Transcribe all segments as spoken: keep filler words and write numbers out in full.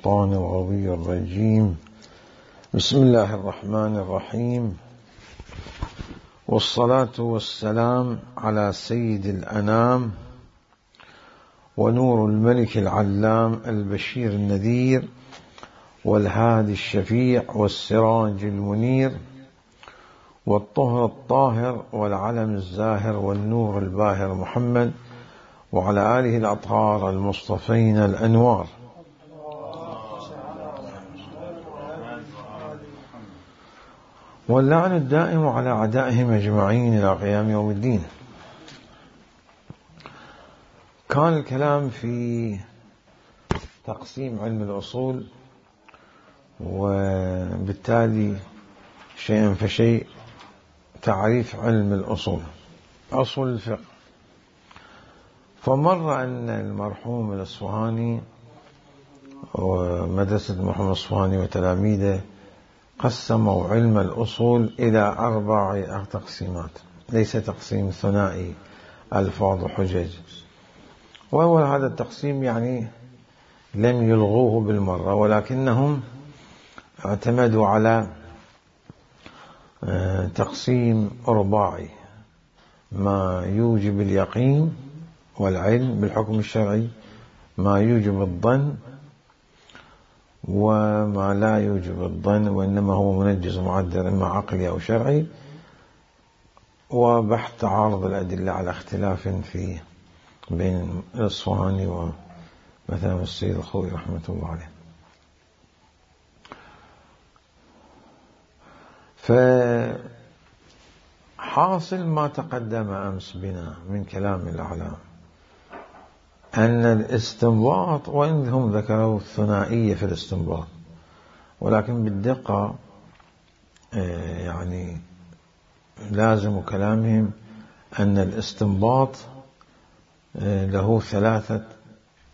الشيطان الغوي الرجيم. بسم الله الرحمن الرحيم، والصلاة والسلام على سيد الأنام ونور الملك العلام البشير النذير والهادي الشفيع والسراج المنير والطهر الطاهر والعلم الزاهر والنور الباهر محمد وعلى آله الأطهار المصطفين الأنوار. واللعن الدائم على أعدائهم أجمعين إلى قيام يوم الدين. كان الكلام في تقسيم علم الأصول، وبالتالي شيئا فشيء تعريف علم الأصول، أصول الفقه. فمر أن المرحوم الأصفهاني ومدرسة محمد الأصفهاني وتلاميذه قسموا علم الأصول إلى أربع تقسيمات، ليس تقسيم ثنائي ألفاظ وحجج. وأول هذا التقسيم يعني لم يلغوه بالمرة، ولكنهم اعتمدوا على تقسيم رباعي: ما يوجب اليقين والعلم بالحكم الشرعي، ما يوجب الظن، وما لا يوجب الظن وإنما هو منجز معدل إما عقلي أو شرعي، وبحث تعارض الأدلة على اختلاف في بين الأصفهاني ومثلا السيد الخوئي رحمة الله عليه. فحاصل ما تقدم أمس بنا من كلام الأعلام أن الاستنباط، وإن هم ذكروا الثنائية في الاستنباط، ولكن بالدقة يعني لازم كلامهم أن الاستنباط له ثلاثة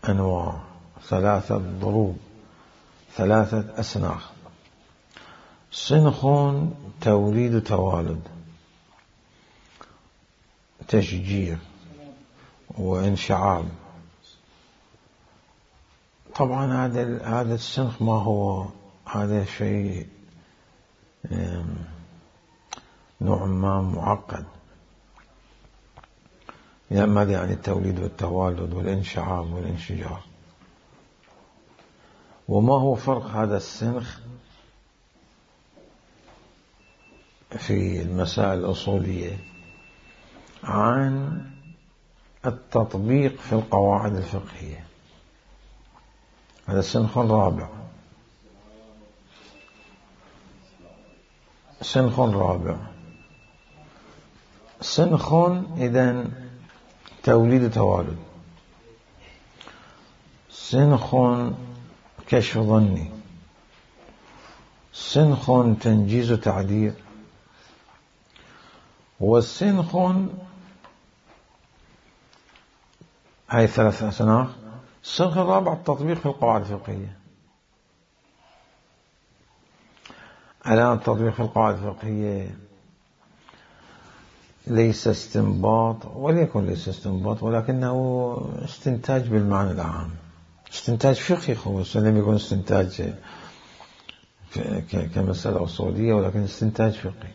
أنواع، ثلاثة ضروب، ثلاثة أسناخ: سنخ توليد توالد، تشجير، وانشعاب. طبعا هذا هذا السنخ ما هو، هذا شيء نوع ما معقد. يعني ماذا يعني التوليد والتوالد والانشعاب والانشجار؟ وما هو فرق هذا السنخ في المسائل الأصولية عن التطبيق في القواعد الفقهية؟ هذا سنخ رابع. سنخ رابع سنخ إذن توليد توالد، سنخ كشف ظني، سنخ تنجيز تعديل، والسنخ، هاي ثلاث أسناخ. السنخ الرابع التطبيق في القواعد الفقهية. الآن التطبيق في القواعد الفقهية ليس استنباط، وليكن ليس استنباط، ولكنه استنتاج بالمعنى العام، استنتاج فقهي خصوصا، لم يكن استنتاج كمسألة أصولية، ولكن استنتاج فقهي.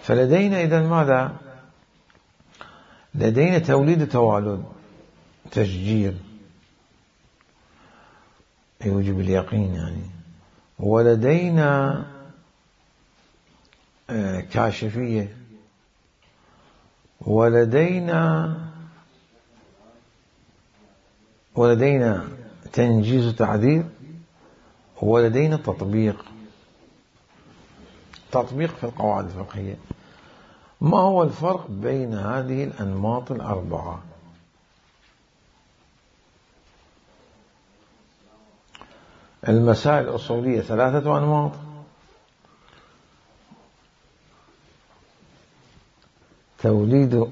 فلدينا إذن ماذا؟ لدينا توليد توالد، تشجير يوجب اليقين يعني، ولدينا كاشفية، ولدينا ولدينا تنجيز تعديل، ولدينا تطبيق تطبيق في القواعد الفقهية. ما هو الفرق بين هذه الأنماط الأربعة؟ المسائل الأصولية ثلاثة أنماط: توليد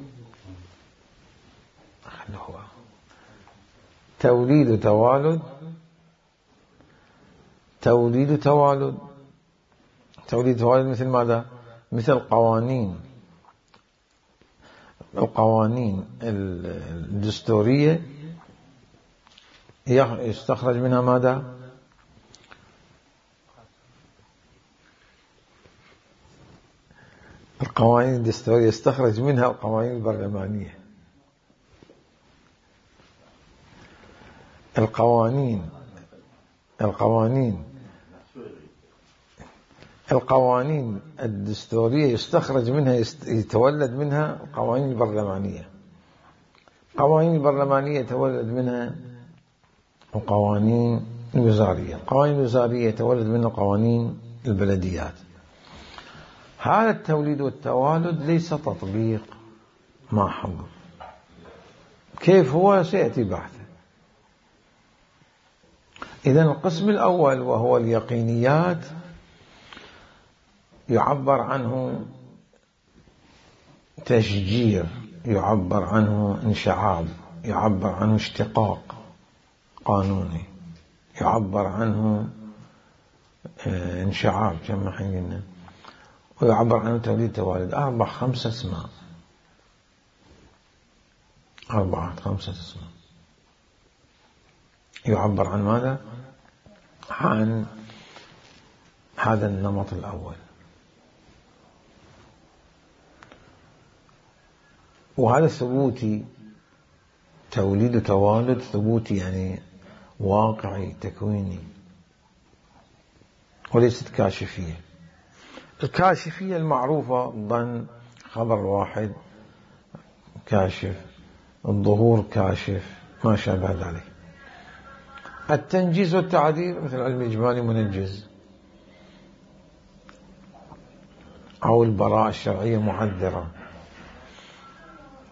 توليد توالد، توليد توالد توليد توالد مثل ماذا؟ مثل قوانين القوانين الدستورية يستخرج منها ماذا؟ القوانين الدستورية، يستخرج منها القوانين البرلمانية. القوانين القوانين القوانين الدستورية يستخرج منها يتولد منها القوانين البرلمانية. القوانين البرلمانية يتولد منها القوانين الوزارية. القوانين الوزارية يتولد منها قوانين البلديات. هذا التوليد والتوالد ليس تطبيق محض. كيف هو؟ سيأتي بحثه. إذن القسم الأول وهو اليقينيات يعبر عنه تشجير، يعبر عنه انشعاب، يعبر عنه اشتقاق قانوني، يعبر عنه انشعاب كما حينا، ويعبر عنه توليد توالد. أربع خمسة اسماء، أربعة خمسة اسماء يعبر عن ماذا؟ عن هذا النمط الأول. وهذا ثبوتي، توليد وتوالد ثبوتي، يعني واقعي تكويني، وليست كاشفية. الكاشفية المعروفة ضمن خبر واحد كاشف، الظهور كاشف، ما شابه ذلك. التنجيز والتعديل مثل علم الإجمالي منجز، أو البراءة الشرعية معذرة.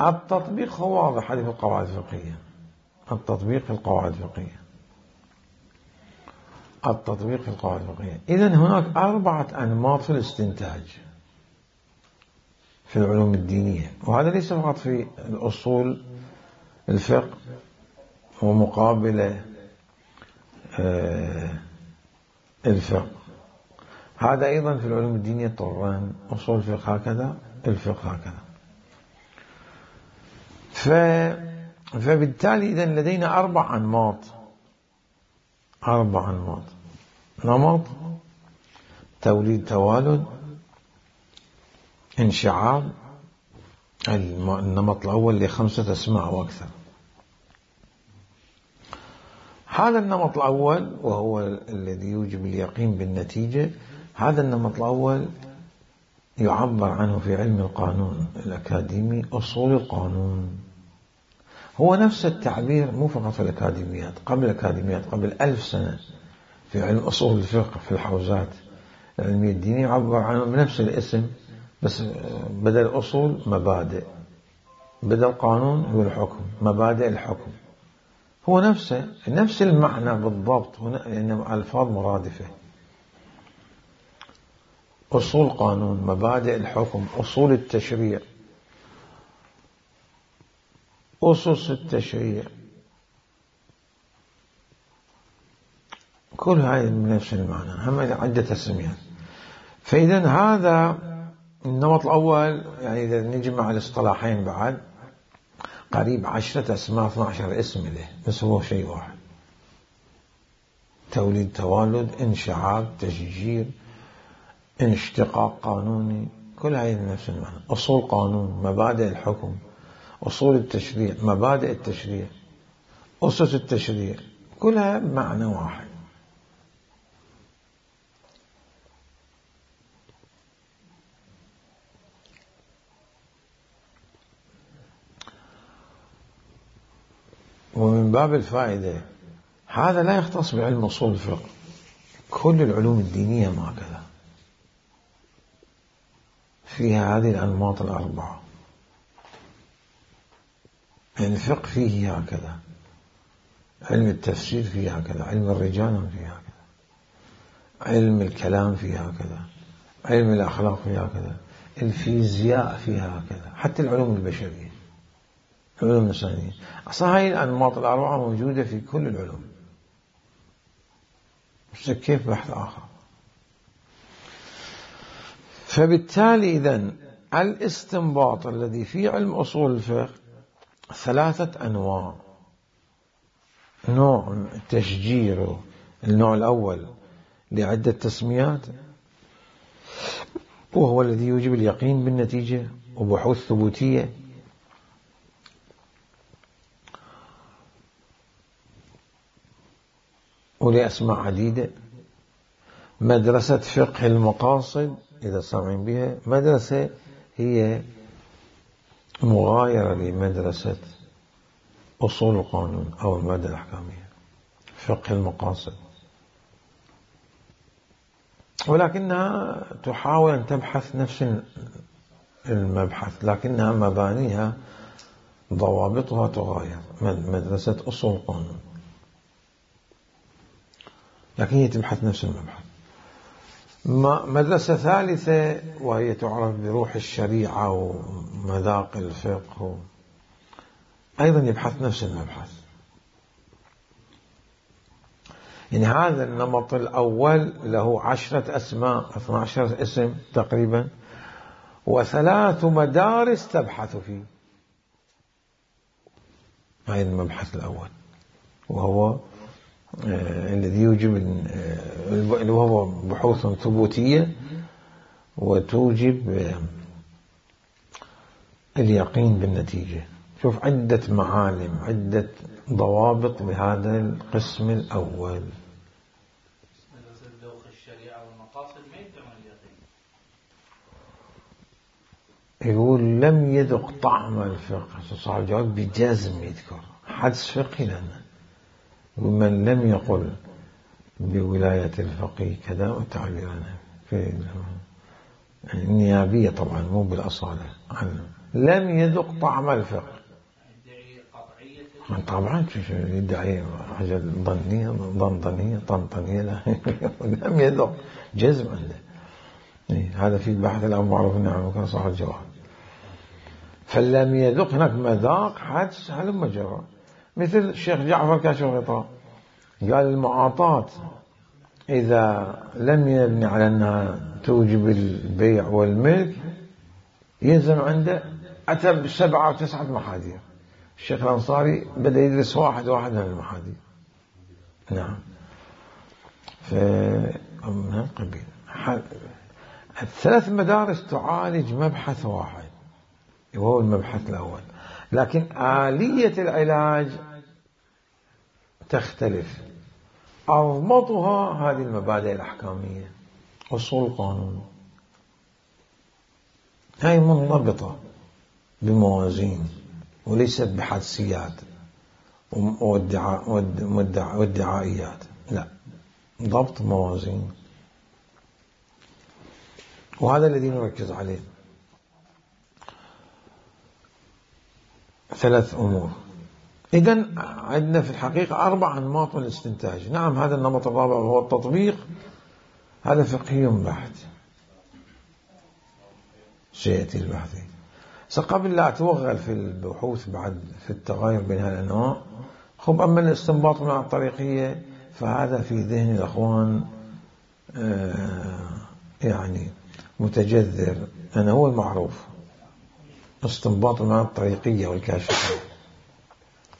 التطبيق هو واضح، هذه في القواعد الفقهية. التطبيق في القواعد الفقهية التطبيق في القواعد الفقهية. إذن هناك أربعة أنماط في الاستنتاج في العلوم الدينية، وهذا ليس فقط في الأصول الفقه ومقابلة الفقه، هذا أيضا في العلوم الدينية طران، أصول الفقه هكذا، الفقه هكذا. فبالتالي إذن لدينا أربع أنماط أربع أنماط نمط توليد توالد، انشعاب، النمط الأول لخمسة أسماء وأكثر. هذا النمط الأول وهو الذي يوجب اليقين بالنتيجة. هذا النمط الأول يعبر عنه في علم القانون الأكاديمي أصول القانون. هو نفس التعبير، مو فقط في الأكاديميات، قبل الأكاديميات قبل ألف سنة في علم أصول الفقه في الحوزات العلمية الدينية يعبر عنه بنفس الاسم، بس بدل أصول مبادئ، بدل قانون هو الحكم، مبادئ الحكم. هو نفسه نفس المعنى بالضبط، هنا لأنه ألفاظ مرادفة. أصول قانون، مبادئ الحكم، أصول التشريع، أسس التشريع، كل هذه من نفس المعنى، هم عدة تسميات. فإذا هذا النمط الأول، يعني إذا نجمع الاصطلاحين بعد قريب عشرة أسماء، اثنى عشر اسم له، بس هو شيء واحد: توليد توالد، انشعاب، تشجير، انشتقاق قانوني، كل هذه من نفس المعنى. أصول قانون، مبادئ الحكم، أصول التشريع، مبادئ التشريع، أسس التشريع، كلها معنى واحد. ومن باب الفائدة هذا لا يختص بعلم أصول الفقه، كل العلوم الدينية ما هكذا، فيها هذه الأنماط الأربعة. يعني الفقه فيه هكذا، علم التفسير فيه هكذا، علم الرجال فيه هكذا، علم الكلام فيه هكذا، علم الأخلاق فيه هكذا، الفيزياء فيها هكذا، حتى العلوم البشرية، العلوم الإنسانية. أصلا هاي الأنماط الأربعة موجودة في كل العلوم، بس كيف بحث آخر. فبالتالي إذن الاستنباط الذي في علم أصول الفقه ثلاثة أنواع: نوع تشجير النوع الأول لعدة تسميات، وهو الذي يوجب اليقين بالنتيجة وبحوث ثبوتية. ولأسماء عديدة. مدرسة فقه المقاصد إذا سامعين بها، مدرسة هي مغايرة لمدرسة أصول القانون أو المادة الأحكامية، فقه المقاصد، ولكنها تحاول أن تبحث نفس المبحث، لكنها مبانيها ضوابطها تغاير. مدرسة أصول القانون لكن هي تبحث نفس المبحث. مدرسة ثالثة وهي تعرف بروح الشريعة ومذاق الفقه، أيضا يبحث نفس المبحث. يعني هذا النمط الأول له عشرة أسماء، اثنى عشر اسم تقريبا، وثلاث مدارس تبحث فيه. هذا المبحث الأول، وهو آه الذي يوجب آه وهو بحوث ثبوتية وتوجب آه اليقين بالنتيجة. شوف عدة معالم، عدة ضوابط لهذا القسم الأول. ذوق الشريعة والمقاصد ما يدعون اليقين. يقول لم يذق طعم الفقه، صاحب الجواب بجازم يذكر حدث فقهي لنا. ومن لم يقل بولاية الفقيه كذا والتعبير عنه في النيابية طبعا مو بالأصالة عنه. لم يذق طعم الفقه طبعا يدعي حاجة ظنية ضنطنية طنطنية لم يذق جزم عنده. هذا في البحث الأمر معروف نعم كان صح الجواب. فلم يذق هناك مذاق حدث هلم جرى. مثل الشيخ جعفر كاشف الغطاء قال المعاطاة إذا لم يبني على أنها توجب البيع والملك يلزم عنده أتى بسبعة وتسعة محاذير. الشيخ الأنصاري بدأ يدرس واحد واحد من المحاذير. نعم. فمن هالقبيل الثلاث مدارس تعالج مبحث واحد وهو المبحث الأول، لكن آلية العلاج تختلف. أضبطها هذه المبادئ الأحكامية، أصول القانون، هاي منضبطة بموازين وليست بحدسيات وادعائيات، لا، ضبط موازين، وهذا الذي نركز عليه. ثلاث أمور. إذن عندنا في الحقيقة أربع أنماط من الاستنتاج. نعم هذا النمط الرابع وهو التطبيق، هذا فقهي بحت سيأتي البحث. قبل لا أتوغل في البحوث بعد في التغير بين هالأنواع، خب أما الاستنباط من الطريقية فهذا في ذهن الأخوان آه يعني متجذر، أنا هو المعروف استنباط من الطريقية والكاشفية.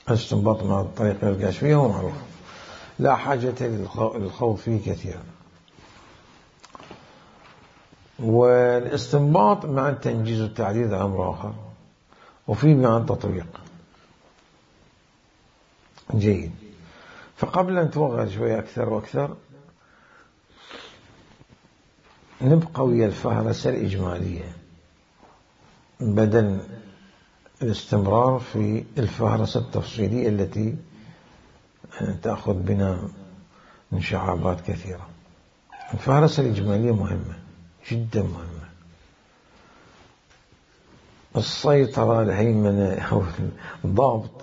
الاستنباط من الطريقية والكاشفية هو معروف، لا حاجة للخوض فيه كثيرا. والاستنباط مع التنجيز والتعديل أمر آخر، وفي مع التطبيق. جيد. فقبل أن نتوغل شوية أكثر وأكثر نبقى ويا الفهرسة الإجمالية بدل الاستمرار في الفهرسة التفصيلية التي تأخذ بنا من شعابات كثيرة. الفهرسة الإجمالية مهمة جدا، مهمة. السيطرة، الهيمنة أو الضابط،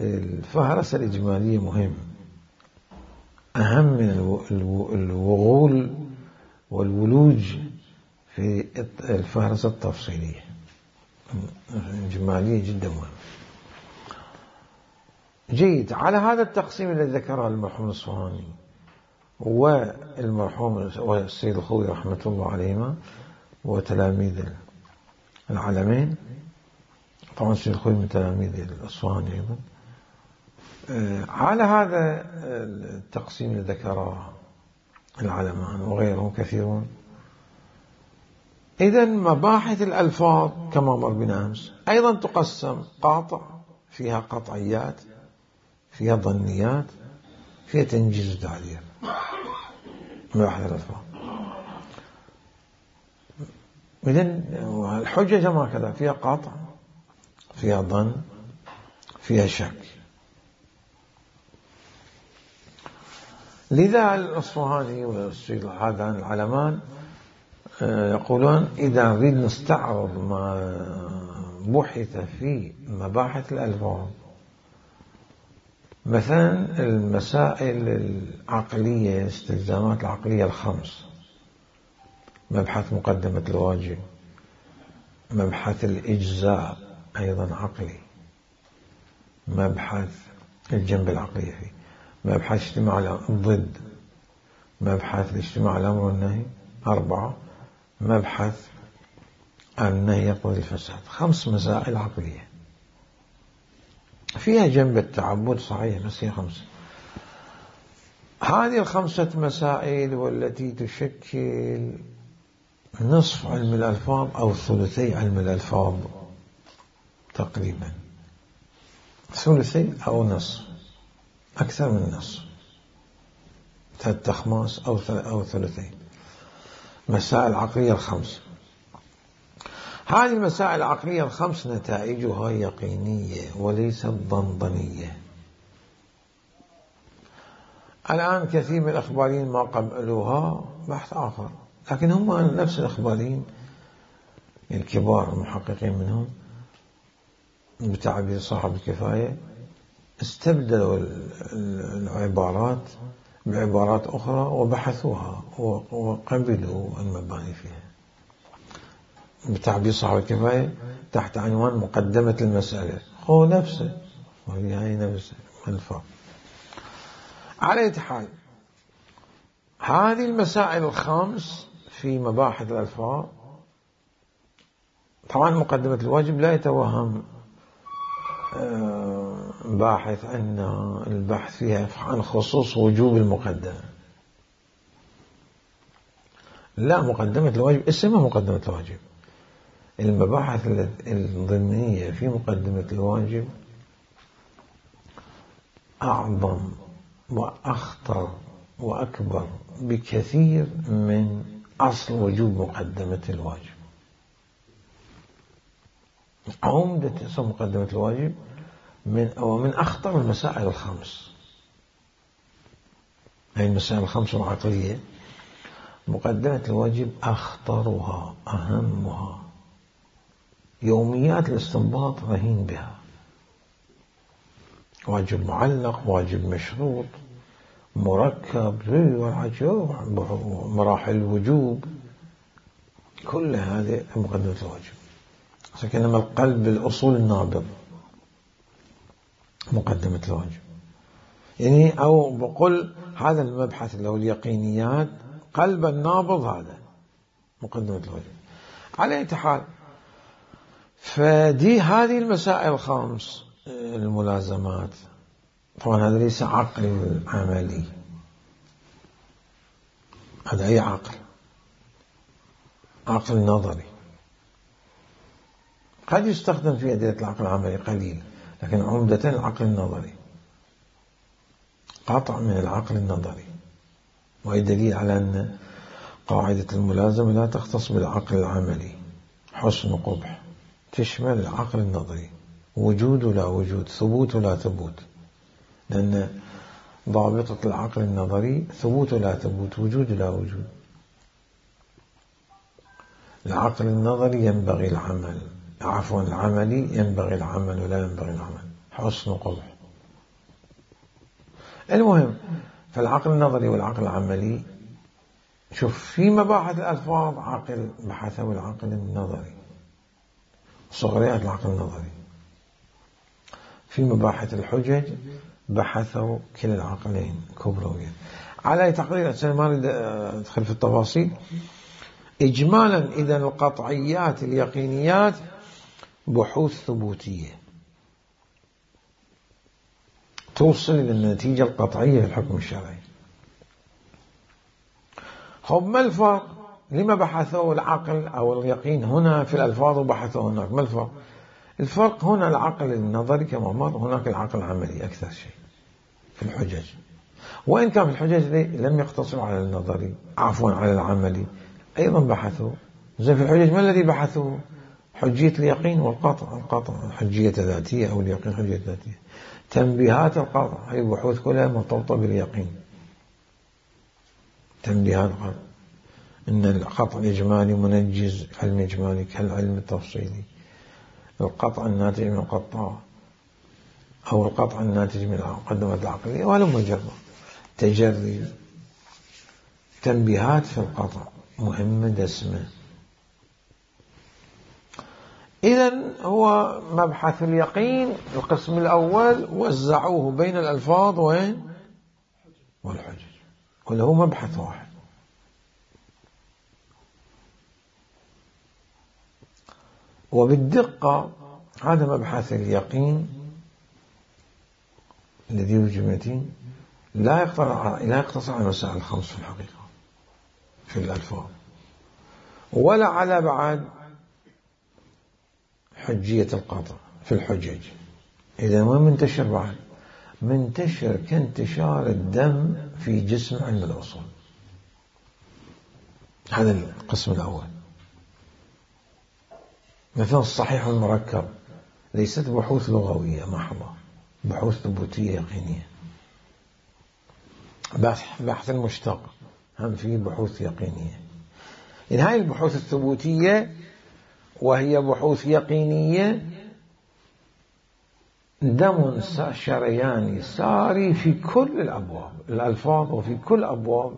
الفهرسة الإجمالية مهم، أهم من الوغول والولوج في الفهرسة التفصيلية. الإجمالية جدا مهمة. جيد. على هذا التقسيم الذي ذكره المرحوم الأصفهاني والمرحوم والسيد الخوي رحمة الله عليهما وتلاميذ العالمين، طبعا السيد الخوي من تلاميذ الأصفهاني أيضا، على هذا التقسيم اللي ذكره العلمان وغيرهم كثيرون. إذن مباحث الألفاظ كما مر بنا أمس أيضا تقسم قاطع، فيها قطعيات، فيها ظنيات، فيها تنجيز وتعبير. مباحث الألفاظ إذن الحجة ما كذا، فيها قاطع، فيها ظن، فيها شك. لذا الأصفهاني والسيد هذان العلمان يقولون إذا نريد نستعرض ما بحث في مباحث الألفاظ، مثلا المسائل العقلية، الاستلزامات العقلية الخمس، مبحث مقدمة الواجب، مبحث الإجزاء أيضا عقلي، مبحث الجنب العقلية فيه، مبحث اجتماع الضد، مبحث الاجتماع الأمر والنهي، أربعة، مبحث النهي يقتضي الفساد. خمس مسائل عقلية فيها جنب التعبد صحيح، بس هي خمسة. هذه الخمسة مسائل والتي تشكل نصف علم الألفاظ أو ثلثي علم الألفاظ تقريبا، ثلثي أو نصف، أكثر من نصف، ثلاثة أخماس أو أو ثلثين. مسائل عقلية الخمس. هذه المسائل العقلية الخمس نتائجها يقينية وليست ضنضنية. الآن كثير من الأخباريين ما قبلوها بحث آخر، لكن هم نفس الأخباريين الكبار المحققين منهم بتعبير صاحب الكفاية استبدلوا العبارات بعبارات أخرى وبحثوها وقبلوا المباني فيها. بتعبير صاحب الكفاية تحت عنوان مقدمة المسألة، هو نفسه وهي نفسه الفرق. على أي حال، هذه المسائل الخمس في مباحث الألفاظ، طبعا مقدمة الواجب لا يتوهم باحث أن البحث فيها عن خصوص وجوب المقدمة، لا، مقدمة الواجب اسمها مقدمة الواجب. المباحث الضمنية في مقدمة الواجب أعظم وأخطر وأكبر بكثير من أصل وجوب مقدمة الواجب. عمدة اسم مقدمة الواجب من أو من أخطر المسائل الخمس. هذه المسائل الخمس العقلية مقدمة الواجب أخطرها، أهمها. يوميات الاستنباط رهين بها، واجب معلق، واجب مشروط، مركب، مراحل الوجوب، كل هذه مقدمة الواجب. لكنما القلب الأصول النابض مقدمة الواجب، يعني أو بقول هذا المبحث اللي هو اليقينيات، قلب النابض هذا مقدمة الواجب. على أي حال، فدي هذه المسائل الخمس الملازمات، طبعا هذا ليس عقل عملي، هذا أي عقل، عقل نظري قد يستخدم في أدلة العقل العملي قليل، لكن عمدة العقل النظري، قطع من العقل النظري. وهي دليل على أن قاعدة الملازمة لا تختص بالعقل العملي، حسن وقبح، تشمل العقل النظري، وجود ولا وجود، ثبوت ولا ثبوت، لأن ضابطة العقل النظري ثبوت ولا ثبوت، وجود ولا وجود. العقل النظري ينبغي العمل، عفوا العملي ينبغي العمل ولا ينبغي العمل، حسن وقبح. المهم، فالعقل النظري والعقل العملي، شوف في مباحث الألفاظ عقل بحثه العقل النظري، صغريات العقل النظري. في مباحث الحجج بحثوا كلا العقلين كبرويا. على تقرير أنا ما أريد أدخل في التفاصيل. إجمالا إذا القطعيات اليقينيات بحوث ثبوتية، توصل إلى النتيجة القطعية في الحكم الشرعي. خب ما الفرق؟ لما بحثوا العقل أو اليقين هنا في الألفاظ وبحثوا هناك؟ ما الفرق؟ الفرق هنا العقل النظري كما مر، هناك العقل العملي أكثر شيء في الحجج. وإن كان في الحجج لم يقتصروا على النظري، عفوا على العملي، أيضا بحثوا. زي في الحجج ما الذي بحثوا؟ حجية اليقين والقطع. القطع حجية ذاتية أو اليقين حجية ذاتية. تنبيهات القطع هي البحوث كلها مرتبطة باليقين. تنبيهات القطع إن القطع الإجمالي منجز، علم إجمالي كالعلم التفصيلي. القطع الناتج من القطاع أو القطع الناتج من المقدمة العقلية ولا مجرد تجري. تنبيهات في القطع مهمة دسمة. إذن هو مبحث اليقين القسم الأول وزعوه بين الألفاظ وين والحجج، كله مبحث واحد. وبالدقة هذا مبحث اليقين الذي يوجب لا لا يقتصر على المسائل الخمس في الحقيقة في الألفاظ، ولا على بعد حجية القطع في الحجج. إذا وين منتشر بعد؟ منتشر كانتشار الدم في جسم علم الأصول. هذا القسم الأول. مثلا الصحيح والمركب ليست بحوث لغوية محضة، بحوث ثبوتية يقينية. بحث المشتق هم فيه بحوث يقينية. إن هاي البحوث الثبوتية وهي بحوث يقينية دم شرياني ساري في كل الأبواب الألفاظ وفي كل أبواب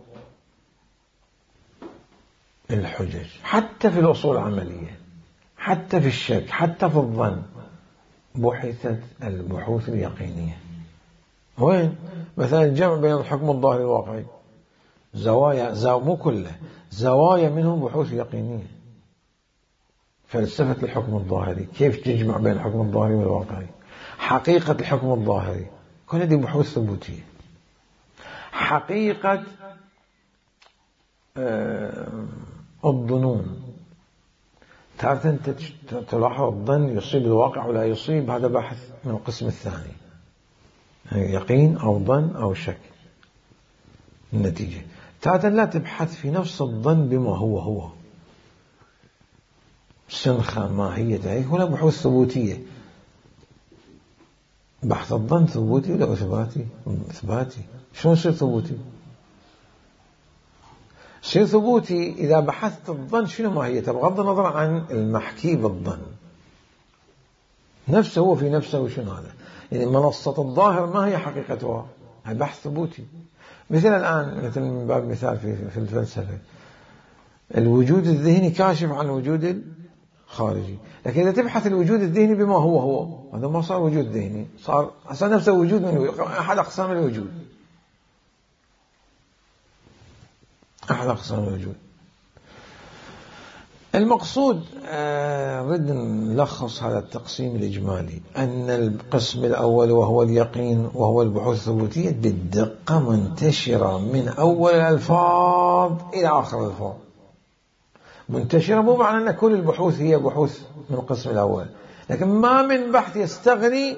الحجج، حتى في الأصول العملية، حتى في الشك، حتى في الظن بحثت البحوث اليقينية. وين؟ مثلا الجمع بين الحكم الظاهري والواقعي زوايا زو مو كله زوايا منهم بحوث يقينية. فلسفة الحكم الظاهري كيف تجمع بين الحكم الظاهري والواقعي، حقيقة الحكم الظاهري كل هذه بحوث ثبوتية. حقيقة آه الظنون تارة أنت تلاحظ الظن يصيب الواقع ولا يصيب، هذا بحث من القسم الثاني، يعني يقين أو ظن أو شك النتيجة. تارة لا تبحث في نفس الظن بما هو هو سنخة ماهية، هي هنا بحوث ثبوتية. بحث الظن ثبوتي ولا إثباتي؟ إثباتي. شلون يصير ثبوتي؟ يصير ثبوتي إذا بحثت الظن شنو ماهيته بغض النظر عن المحكي بالظن نفسه، هو في نفسه وشنو هذا. يعني منصة الظاهر ما هي حقيقتها؟ هذا بحث ثبوتي. مثل الآن مثل من باب مثال في في الفلسفة الوجود الذهني كاشف عن الوجود الخارجي، لكن إذا تبحث الوجود الذهني بما هو هو هذا ما صار وجود ذهني، صار أصلا نفسه وجود من أحد أقسام الوجود، أحد أقسام الوجود. المقصود نريد نلخص هذا التقسيم الإجمالي أن القسم الأول وهو اليقين وهو البحوث الثبوتية بالدقة منتشرة من أول الألفاظ إلى آخر الألفاظ. منتشرة مو معنى أن كل البحوث هي بحوث من القسم الأول، لكن ما من بحث يستغني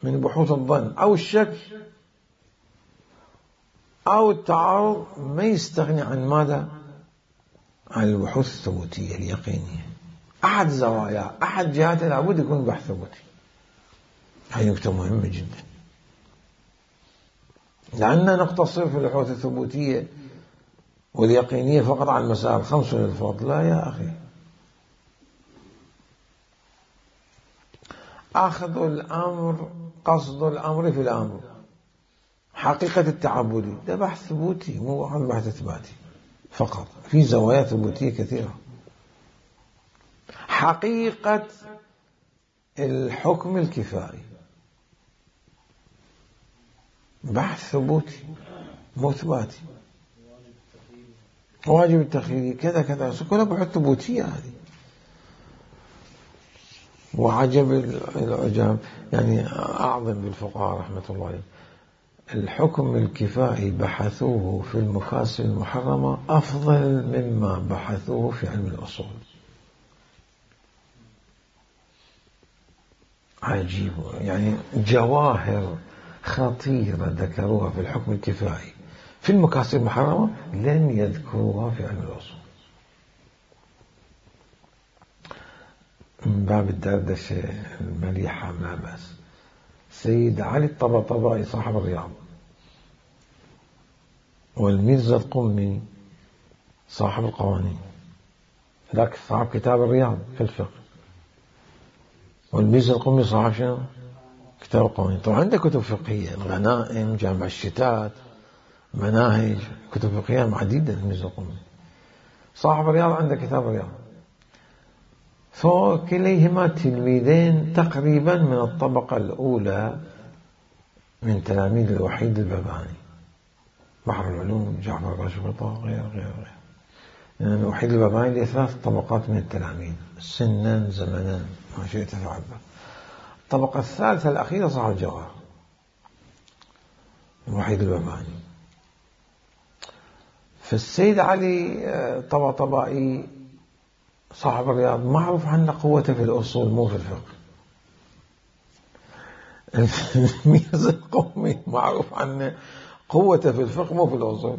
من بحوث الظن أو الشك أو التعارض، ما يستغني عن ماذا؟ عن البحوث الثبوتية اليقينية. أحد زوايا أحد جهات لابد يكون بحث ثبوتي. هذه نقطة مهمة جدا، لأننا نقتصر في البحوث الثبوتية واليقينية فقط على المسائل الخمس للفضل. لا يا أخي، أخذ الأمر قصد الأمر في الأمر، حقيقة التعبدي ده بحث ثبوتي مو عن بحث إثباتي فقط، في زوايا ثبوتية كثيرة. حقيقة الحكم الكفائي بحث ثبوتي مو إثباتي. واجب التخييري كذا كذا كلها بحث ثبوتية. هذه وعجب العجاب يعني أعظم بالفقهاء رحمة الله عليه، الحكم الكفائي بحثوه في المكاسب المحرمة أفضل مما بحثوه في علم الأصول. عجيب، يعني جواهر خطيرة ذكروها في الحكم الكفائي في المكاسب المحرمة لم يذكروها في علم الأصول. من باب الدردشة المليحة ما بس. سيد علي الطبطبائي صاحب الرياض، والميرزا القمي صاحب القوانين، ذاك صاحب كتاب الرياض في الفقه، والميرزا القمي صاحب شنو؟ كتاب القوانين. طبعا عنده كتب فقهية، الغنائم، جامع الشتات، مناهج، كتب فقهية عديدة. الميرزا القمي صاحب الرياض عنده كتاب الرياض. فكليهما تلميذين تقريبا من الطبقة الأولى من تلاميذ الوحيد الباباني، بحر العلوم، جعفر الباشقطة، غير غير غير يعني الوحيد الباباني له ثلاث طبقات من التلاميذ سنا زمنا ما شئت تعبر. الطبقة الثالثة الأخيرة صاحب الجواهر الوحيد الباباني. فالسيد علي طبطبائي صاحب الرياض معروف عنه قوته في الأصول مو في الفقه. الميرزا القمي معروف عنه قوته في الفقه مو في الأصول،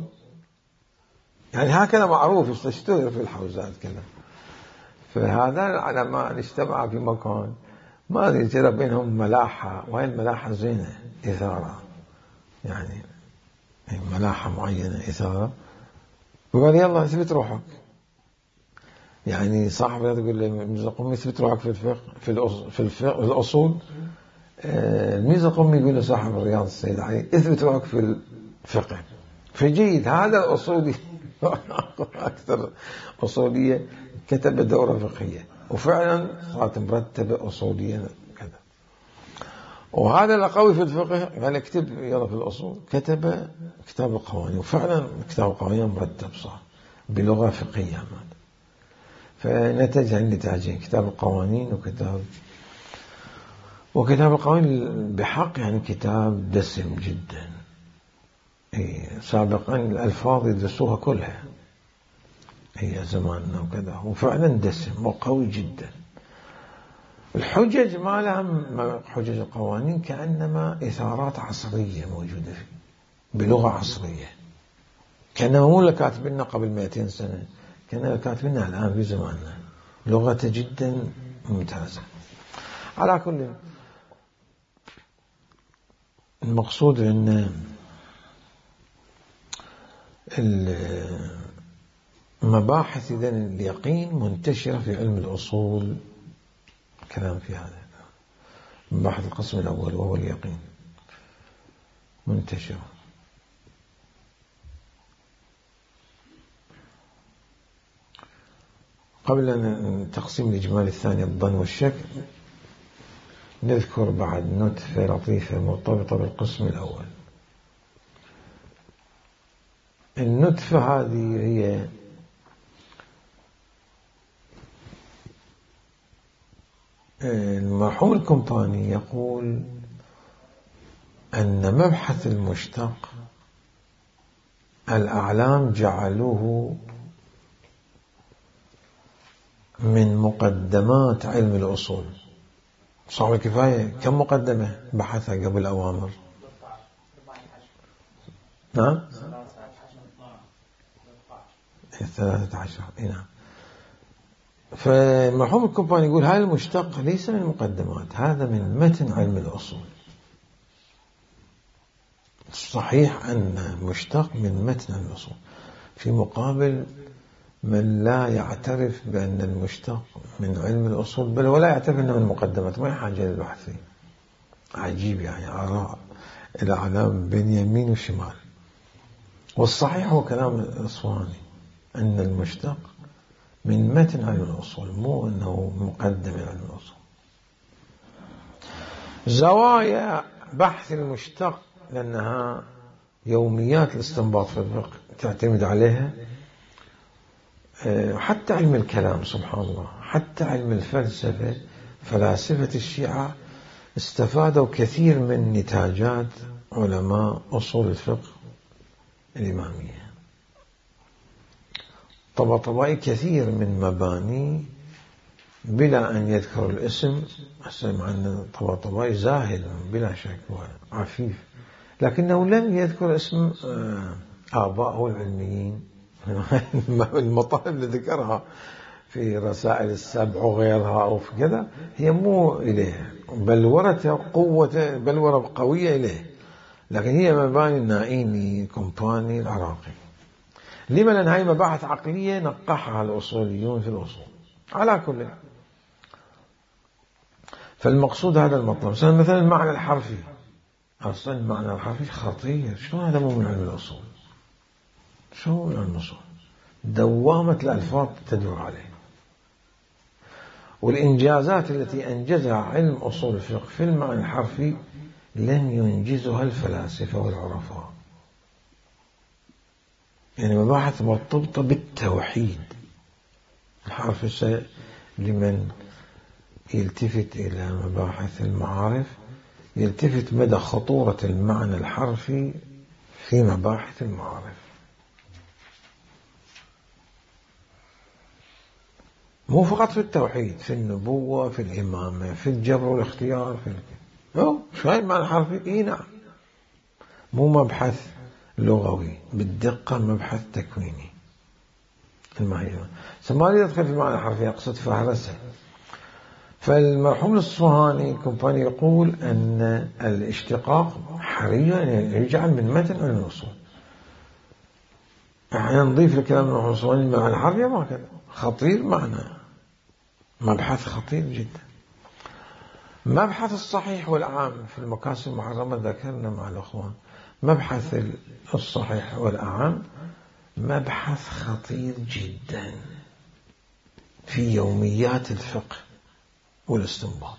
يعني هكذا معروف يستشتهر في الحوزات كذا. فهذا العلماء اجتمعوا في مكان ما أدري ترى بينهم ملاحة، وهي الملاحة زينة إثارة، يعني ملاحة معينة إثارة. وقال يلا اثبت روحك، يعني صاحب يقول الميرزا القمي اثبت روحك في الفقه في الأصول, في الفقه الأصول. الميرزا القمي يقول لصاحب الرياض السيد علي اثبت روحك في الفقه. فجيد هذا الأصولي أكثر أصولية كتب دورة فقهية، وفعلا صارت مرتبة أصولية كذا. وهذا القوي في الفقه قال اكتب يلا في الأصول، كتب كتاب القوانين، وفعلا كتاب القوانين مرتب صار بلغة فقهية. فنتج عن نتاجين، كتاب القوانين وكتاب وكتاب القوانين بحق يعني كتاب دسم جدا. إيه سابقا الألفاظ يدرسوها كلها هي زماننا وكذا، وفعلا دسم وقوي جدا. الحجج ما لها حجج القوانين كأنما إثارات عصرية موجودة فيه بلغة عصرية، كأنما مو اللي كاتبيننا قبل مئتين سنة، كأنما كاتبيننا الآن في زماننا، لغة جدا ممتازة. على كل المقصود أن المباحث إذن اليقين منتشرة في علم الأصول، كلام في هذا مباحث القسم الأول وهو اليقين منتشرة. قبل أن تقسيم الإجمال الثاني الظن والشك نذكر بعد نتفة لطيفة مرتبطة بالقسم الأول. النتفة هذه هي المرحوم القمطاني يقول أن مبحث المشتق الأعلام جعلوه من مقدمات علم الأصول. صعب الكفاية كم مقدمة بحثها قبل أوامر؟ نعم ثلاثة عشر. نعم. فالمرحوم القمطاني يقول هذا المشتق ليس من المقدمات، هذا من متن علم الأصول. صحيح أن مشتق من متن علم الأصول، في مقابل من لا يعترف بأن المشتق من علم الأصول، بل ولا يعترف أنه من المقدمات، ما يحاجة للبحث فيه. عجيب، يعني آراء الأعلام بين يمين وشمال. والصحيح هو كلام الأصفهاني أن المشتق من متن علم الأصول، مو أنه مقدم علم الأصول. زوايا بحث المشتق لأنها يوميات الاستنباط في الفقه تعتمد عليها، حتى علم الكلام سبحان الله، حتى علم الفلسفة فلاسفة الشيعة استفادوا كثير من نتاجات علماء أصول الفقه الإمامية. طباطبائي كثير من مباني بلا أن يذكر الاسم، مع أن طباطبائي زاهد بلا شك وعفيف، لكنه لم يذكر اسم آبائه العلميين. المطالب اللي ذكرها في رسائل السبع وغيرها أو في كذا هي مو إليه، بلورة قوة بلورة قوية إليه، لكن هي مباني النائيني الكومباني العراقي. لما؟ لأن هاي مباحث عقلية نقحها الأصوليون في الأصول. على كل، فالمقصود هذا المطلب. مثلا المعنى الحرفي، أصلا المعنى الحرفي خطير. شلون هذا مو من علم الأصول؟ شو من علم الأصول؟ دوامة الألفاظ تدور عليه، والإنجازات التي أنجزها علم أصول الفقه في المعنى الحرفي لم ينجزها الفلاسفة والعرفاء. يعني مباحث مرتبطة بالتوحيد. الحرف لمن يلتفت إلى مباحث المعارف يلتفت مدى خطورة المعنى الحرفي في مباحث المعارف. مو فقط في التوحيد، في النبوة، في الإمامة، في الجبر والاختيار، في الكلام. شو هاي المعنى الحرفي؟ إيه نعم، مو مبحث لغوي بالدقة، مبحث تكويني. الماهية ما أريد أدخل في المعنى الحرفي، أقصد فهرسة. فالمرحوم الأصفهاني الكومباني يقول أن الاشتقاق حري أن يجعل من متن علم الأصول. احنا نضيف لكلام المرحوم الأصفهاني المعنى الحرفي ما كذا خطير، معنى مبحث خطير جدا. مبحث الصحيح والأعام في المكاسب المحرمة ذكرنا مع الأخوان. مبحث الصحيح والأعام مبحث خطير جدا في يوميات الفقه والاستنباط.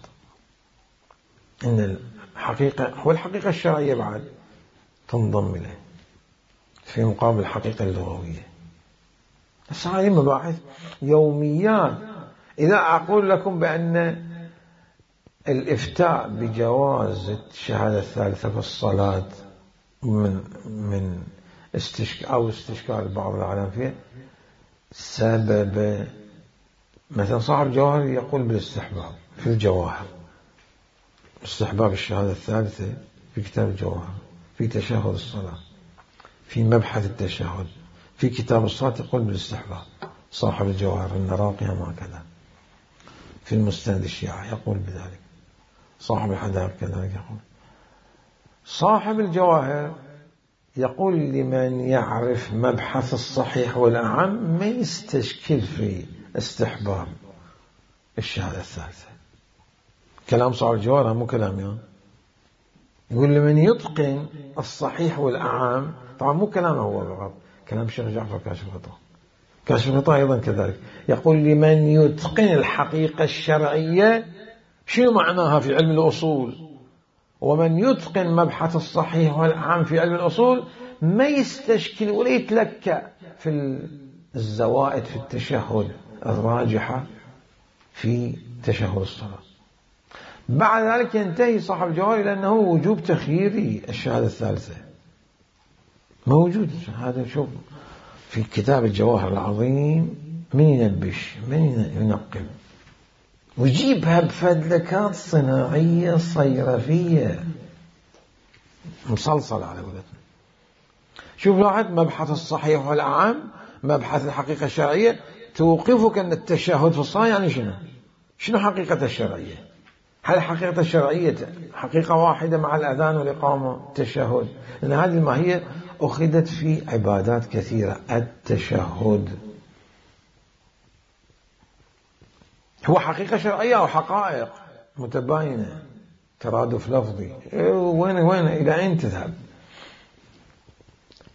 إن الحقيقة والحقيقة الشرعية بعد تنضم إليه في مقابل الحقيقة اللغوية. بس هذه مباحث يوميات. إذا أقول لكم بأن الإفتاء بجواز الشهادة الثالثة في الصلاة من من استشكال أو استشكال بعض العلماء فيه سبب، مثلا صاحب الجواهر يقول بالاستحباب في الجواهر، استحباب الشهادة الثالثة في كتاب الجواهر، في تشهد الصلاة، في مبحث التشهد، في كتاب الصلاة يقول بالاستحباب. صاحب الجواهر النراقي هكذا، في المستند الشيعة يقول بذلك، صاحب الحدائق كذلك يقول. صاحب الجواهر يقول لمن يعرف مبحث الصحيح والأعم ما يستشكل في استحباب الشهادة الثالثة. كلام صاحب الجواهر مو كلام يعني. يقول لمن يتقن الصحيح والأعم، طبعا مو كلامه هو فقط، كلام الشيخ جعفر كاشف الغطاء. كاشف الغطاء أيضا كذلك يقول لمن يتقن الحقيقة الشرعية. شنو معناها في علم الأصول؟ ومن يتقن مبحث الصحيح والأعم في علم الأصول ما يستشكل ولا يتلكأ في الزوائد في التشهد الراجحة في تشهد الصلاة. بعد ذلك ينتهي صاحب الجواهر إلى أنه وجوب تخييري الشهادة الثالثة موجود. هذا شوف في كتاب الجواهر العظيم، من ينبش من ينقب ويجيبها بفدلكات صناعية صيرفية مصلصل على قولتنا. شوف لاحظ مبحث الصحيح والأعم، مبحث الحقيقة الشرعية، توقفك أن التشهد في الصلاة يعني شنو؟ شنو حقيقة الشرعية؟ هل الحقيقة الشرعية حقيقة واحدة مع الأذان والإقامة التشهد؟ لأن هذه الماهية أخذت في عبادات كثيرة. التشهد هو حقيقة شرعية أو حقائق متباينة، ترادف لفظي، وين وين إلى أين تذهب؟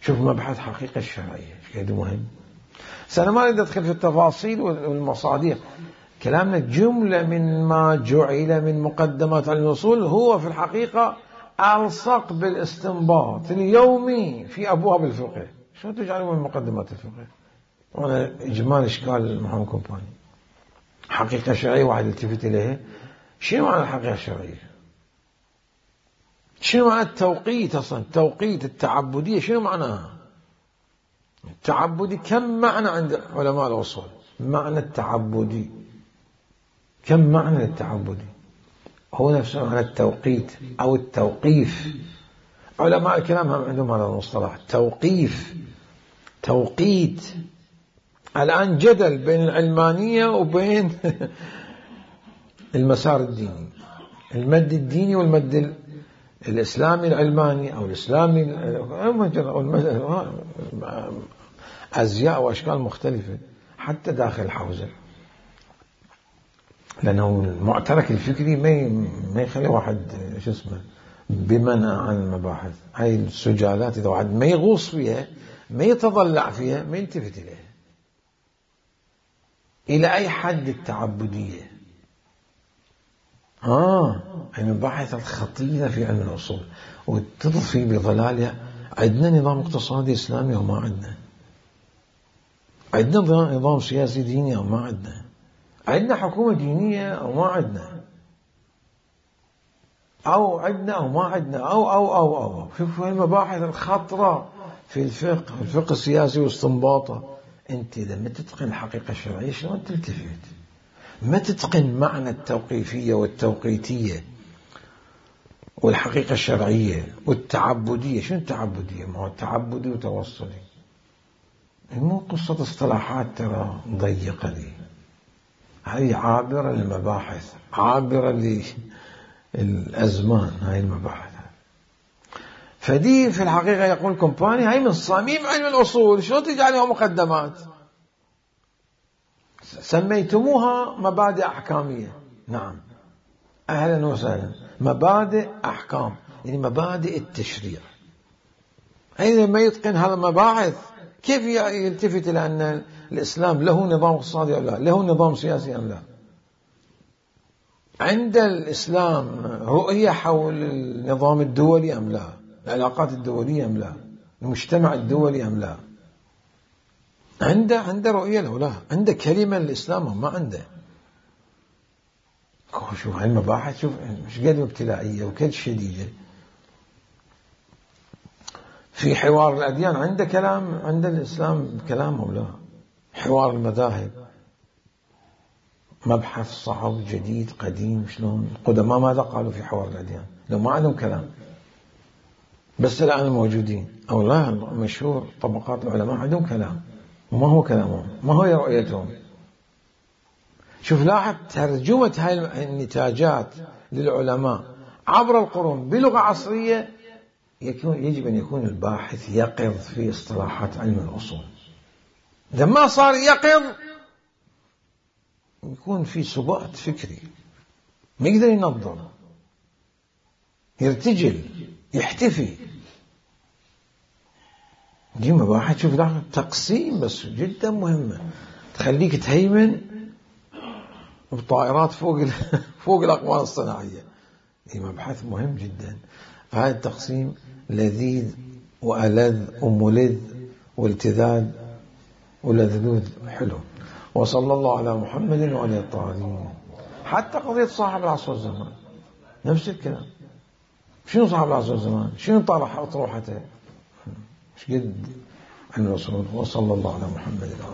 شوف مبحث حقيقة الشرعية كيف مهم. سأنا ما أريد أدخل في التفاصيل والمصادر. كلامنا جملة من ما جعل من مقدمات علم الأصول هو في الحقيقة ألصق بالاستنباط اليومي في أبواب الفقه. شو تجعلوا من مقدمات الفقه؟ وأنا إجمال إشكال المحمد كومباني. حقيقة شرعية واحد التفت إليها شنو معنى الحقيقة الشرعية؟ شنو معنى التوقيت أصلا؟ التوقيت التعبدية شنو معناها؟ التعبدي كم معنى عند علماء الأصول؟ معنى التعبدي كم معنى للتعبدي؟ هو نفسه معنى التوقيت أو التوقيف. علماء الكلام هم عندهم هذا المصطلح توقيف توقيت. الآن جدل بين العلمانية وبين المسار الديني، المد الديني والمد الإسلامي العلماني أو الإسلامي أزياء وأشكال مختلفة حتى داخل الحوزة، لأنه المعترك الفكري ما ما يخلي واحد شو اسمه بمنع عن المباحث. هاي السجالات إذا واحد ما يغوص فيها ما يتضلع فيها ما يلتفت إليها. إلى أي حد التعبدية؟ آه المباحث الخطيرة في علم الأصول وتضفي بظلالها. عندنا نظام اقتصادي إسلامي أو ما عندنا؟ عندنا نظام سياسي ديني أو ما عندنا؟ عندنا حكومة دينية أو ما عندنا؟ أو عندنا أو ما عندنا؟ أو أو أو أو شوفوا المباحث الخطرة في الفقه الفقه السياسي واستنباطه. أنت إذا ما تتقن الحقيقة الشرعية شلون تلتفت؟ ما تتقن معنى التوقيفية والتوقيتية والحقيقة الشرعية والتعبدية. شنو التعبدية؟ ما هو تعبدي وتوصلي، مو قصة اصطلاحات ترى ضيقة دي. هاي عابرة للمباحث، عابرة للأزمان. هاي المباحث فدي في الحقيقة يقول كومباني هاي من صميم علم الأصول. شو تجعلها مقدمات؟ سميتموها مبادئ أحكامية. نعم أهلا وسهلا. مبادئ أحكام يعني مبادئ التشريع. أين ما يتقن هذا المباحث كيف يلتفت إلى أن الإسلام له نظام اقتصادي أم لا، له نظام سياسي أم لا؟ عند الإسلام رؤية حول النظام الدولي أم لا، العلاقات الدولية أم لا، المجتمع الدولي أم لا؟ عنده عنده رؤية له لا، عنده كلمة للإسلام ما عنده. شوف هاي المباحث شوف مش قد ابتلائية وكد شديدة. في حوار الأديان عنده كلام، عند الإسلام كلام أو لا؟ حوار المذاهب مبحث صعب جديد قديم. شلون القدماء ماذا قالوا في حوار الأديان؟ لو ما عندهم كلام بس الآن الموجودين أو لا مشهور طبقات العلماء عندهم كلام. وما هو كلامهم؟ ما هو رؤيتهم؟ شوف لاحظ ترجمة هاي النتاجات للعلماء عبر القرون بلغة عصرية. يكون يجب أن يكون الباحث يقظ في اصطلاحات علم الأصول. إذا ما صار يقظ يكون في سبات فكري، ما يقدر ينظر، يرتجل، يحتفي. دي مباحث شوف لاحظ تقسيم بس جدا مهمة تخليك تهيمن بطائرات فوق فوق الأقمار الصناعية. دي مبحث مهم جدا. هذا التقسيم لذيذ وألذ وملذ والتذاذ ولذلوذ حلو. وصلى الله على محمد وعلى الطاهرين. حتى قضية صاحب العصر والزمان نفس الكلام. شنو صاحب العصر والزمان؟ شنو طرح أطروحته؟ مش قد عن الرسول. وصلى الله على محمد وعلى